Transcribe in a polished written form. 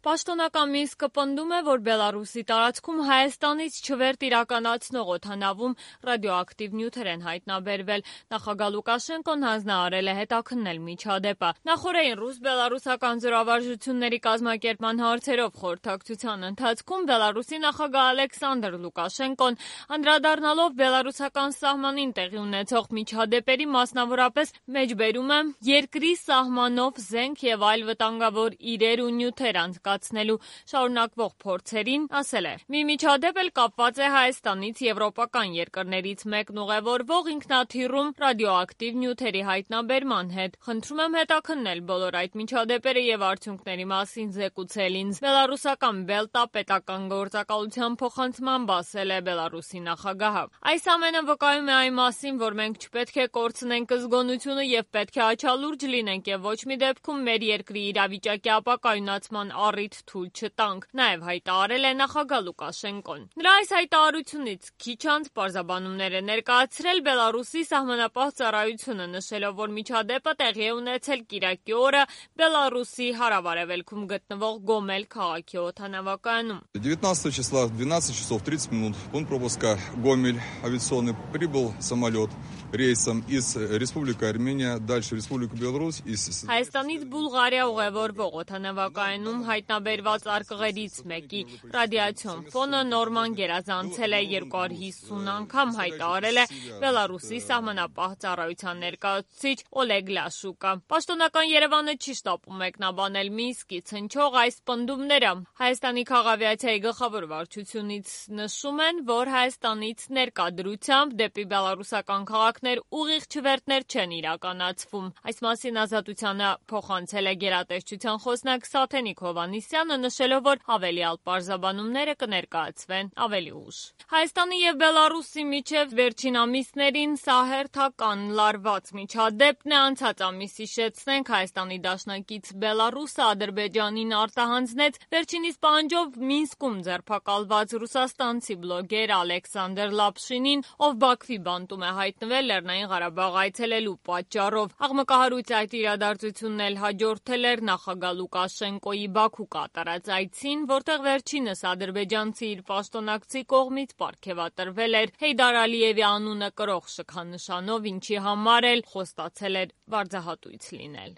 Պաշտոնական Մինսկը պնդում է, որ Բելարուսի տարածքում Հայաստանից չվերթ իրականացնող օդանավում ռադիոակտիվ նյութեր են հայտնաբերվել։ Նախագահ Լուկաշենկոն հանձնարարել է հետաքննել միջադեպը։ Նախօրեին ռուս-բելարուսական զորավարժությունների կազմակերպման հարցերով խորհրդակցության ընթացքում Բելարուսի նախագահ Ալեքսանդր Լուկաշենկոն անդրադառնալով բելարուսական սահմանին տեղի ունեցող միջադեպերի, մասնավորապես մեջբերում է երկրի սահմանով զենք եւ այլ վտանգավոր իրեր ու նյութեր անցկացնելու շարունակվող փորձերին, ասել է. «Մի միջադեպ էլ կապված է Հայաստանից եվրոպական երկրներից մեկն ուղևորվող ինքնաթիռում ռադիոակտիվ նյութերի հայտնաբերման հետ։ Խնդրում եմ հետաքննել բոլոր այդ միջադեպերը եւ արդյունքների մասին զեկուցել ինձ»։ Բելարուսական Բելտա պետական գործակալության փոխանցմամբ ասել է Բելարուսի նախագահը։ Այս ամենը վկայում է այն մասին, որ մենք չպետք է կորցնենք զգոնությունը եւ պետք է աչալուրջ լինենք եւ ոչ մի դեպքում մեր երկրի իրավիճակի ապակայունացման առիթ թույլ չտանք, նաև հայտարարել է նախագահ Լուկաշենկոն։ Նրա այս հայտարարությունից քիչ անց պարզաբանումներ է ներկայացրել Բելարուսի սահմանապահ ծառայությունը, նշելով, որ միջադեպը տեղի է ունեցել կիրակի օրը Բելարուսի հարավ-արևելքում գտնվող Գոմել քաղաքի օդանավակայանում։ 19 числа в 12 часов 30 минут пункт пропуска Гомель авиационный прибыл самолет рейсом из Республики Армения, дальше Республика Беларусь. Հայաստանից Բուլղարիա ուղևորվող օդանավակայանում հայտնաբերված արկղերից մեկի ռադիացիոն ֆոնը նորման գերազանցել է 250 անգամ, հայտարարել է Բելարուսի սահմանապահ ծառայության ներկայացուցիչ Օլեգ Լաշուկը։ Պաշտոնական Երևանը չի շտապում մեկնաբանել Մինսկից հնչող այս պնդումները։ Հայաստանի քաղավիացիայի գլխավոր վարչությունից նշում են, որ Հայաստանից ներկա դրությամբ դեպի բելարուսական քաղաքներ ուղիղ չվերթներ չեն իրականացվում։ Այս մասին Ազատությանը փոխանցել է գերատեսչության խոսնակ Սաթենիկ Հովհաննիսյանը, նշելով, որ ավելյալ պարզաբանումները կներկայացվեն ավելի ուշ։ Հայաստանի եւ Բելարուսի միջև վերջին ամիսներին սա հերթական լարված միջադեպն է։ Անցած ամիս հիշեցնենք, Հայաստանի դաշնակից Բելարուսը Ադրբեջանին արտահանձնեց վերջինիս պահանջով Մինսկում ձերբակալված ռուսաստանցի բլոգեր Ալեքսանդր Լապշինին, ով Բաքվի բանտում է հայտնվել Լեռնային Ղարաբաղ այցելելու պատճառով։ Աղմկահարույց այդ իրադարձությունն էլ հաջորդել էր նախագահ Լուկաշենկոյի Բաքու կատարած այցին, որտեղ վերջինս ադրբեջանցի իր պաշտոնակցի կողմից պարգևատրվել էր Հեյդար Ալիևի անունը կրող շքանշանով, ինչի համար էլ խոստացել էր վարձահատույց լինել։